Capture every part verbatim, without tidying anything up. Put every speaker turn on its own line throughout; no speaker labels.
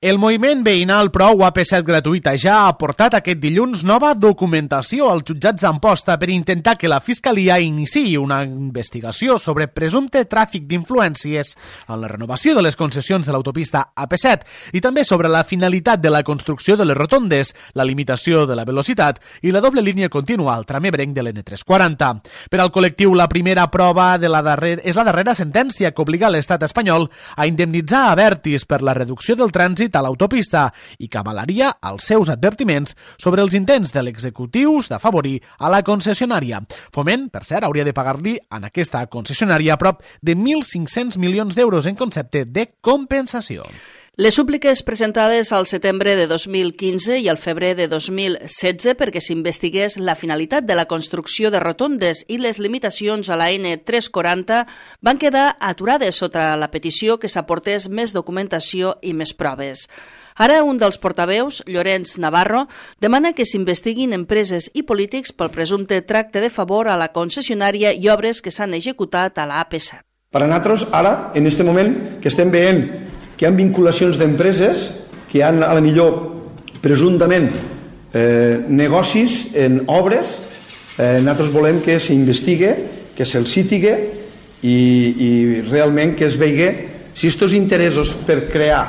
El moviment veïnal Prou A P set gratuïta ja ha aportat aquest dilluns nova documentació als jutjats d'Amposta per intentar que la Fiscalia iniciï una investigació sobre presumpte tràfic d'influències en la renovació de les concessions de l'autopista A P set i també sobre la finalitat de la construcció de les rotondes, la limitació de la velocitat i la doble línia contínua al tram ebrenc de l'N tres quaranta. Per al col·lectiu, la primera prova de la darrera, és la darrera sentència que obliga l'estat espanyol a indemnitzar a Abertis per la reducció del trànsit a l'autopista i que avalaria els seus advertiments sobre els intents de l'executius d'afavorir a la concessionària. Foment, per cert, hauria de pagar-li en aquesta concessionària prop de mil cinc-cents milions d'euros en concepte de compensació.
Les súpliques presentades al setembre de dos mil quinze i al febrer de dos mil setze perquè s'investigués la finalitat de la construcció de rotondes i les limitacions a la N tres quaranta van quedar aturades sota la petició que s'aportés més documentació i més proves. Ara un dels portaveus, Llorenç Navarro, demana que s'investiguin empreses i polítics pel presumpte tracte de favor a la concessionària i obres que s'han executat a la A P set.
Per a nosaltres, ara, en aquest moment que estem veient que hi ha vinculacions d'empreses, que hi ha, a la millor, presumptament, eh, negocis en obres, eh, nosaltres volem que s'investigue, que se'ls citigue i, i realment que es vegi si aquests interessos per crear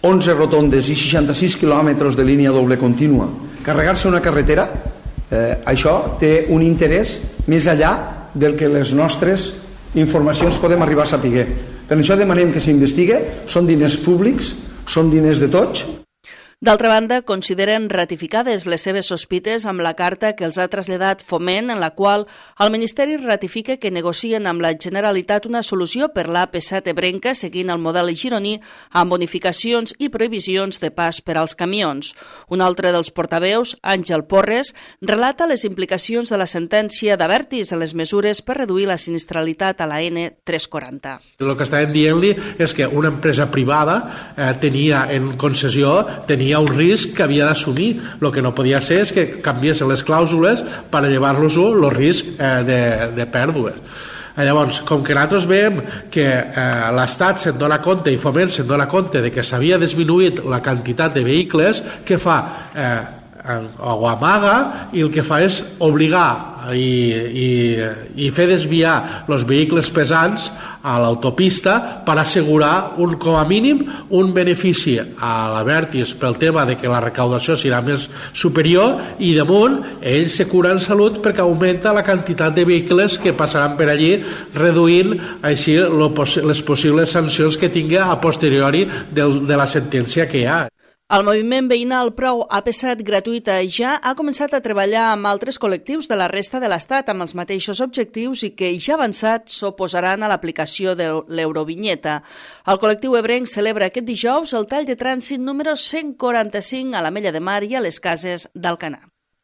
onze rotondes i seixanta-sis quilòmetres de línia doble contínua, carregar-se una carretera, eh, això té un interès més enllà del que les nostres informacions podem arribar a saber. Per això demanem que s'investigue, són diners públics, són diners de tots.
D'altra banda, consideren ratificades les seves sospites amb la carta que els ha traslladat Foment, en la qual el Ministeri ratifica que negocien amb la Generalitat una solució per l'A P set ebrenca seguint el model gironí amb bonificacions i prohibicions de pas per als camions. Un altre dels portaveus, Àngel Porres, relata les implicacions de la sentència d'Abertis en les mesures per reduir la sinistralitat a la N tres quaranta.
El que estàvem dient-li és que una empresa privada eh, tenia en concessió tenia hi ha un risc que havia d'assumir. El que no podia ser és que canviessin les clàusules per a llevar-los el risc eh, de, de pèrdues. Llavors, com que nosaltres veiem que eh, l'Estat se'n dona compte i Foment se'n dona compte de que s'havia disminuït la quantitat de vehicles, què fa? Eh, o amaga i el que fa és obligar i, i, i fer desviar els vehicles pesants a l'autopista per assegurar un, com a mínim un benefici a l'Abertis pel tema de que la recaudació serà més superior i damunt ells se curen salut perquè augmenta la quantitat de vehicles que passaran per allí reduint així lo, les possibles sancions que tingui a posteriori del, de la sentència que hi ha.
El moviment veïnal Prou A P set gratuïta ja ha començat a treballar amb altres col·lectius de la resta de l'Estat amb els mateixos objectius i que ja avançat s'oposaran a l'aplicació de l'eurovinyeta. El col·lectiu ebrenc celebra aquest dijous el tall de trànsit número cent quaranta-cinc a l'Ametlla de Mar i a les Cases d'Alcanar.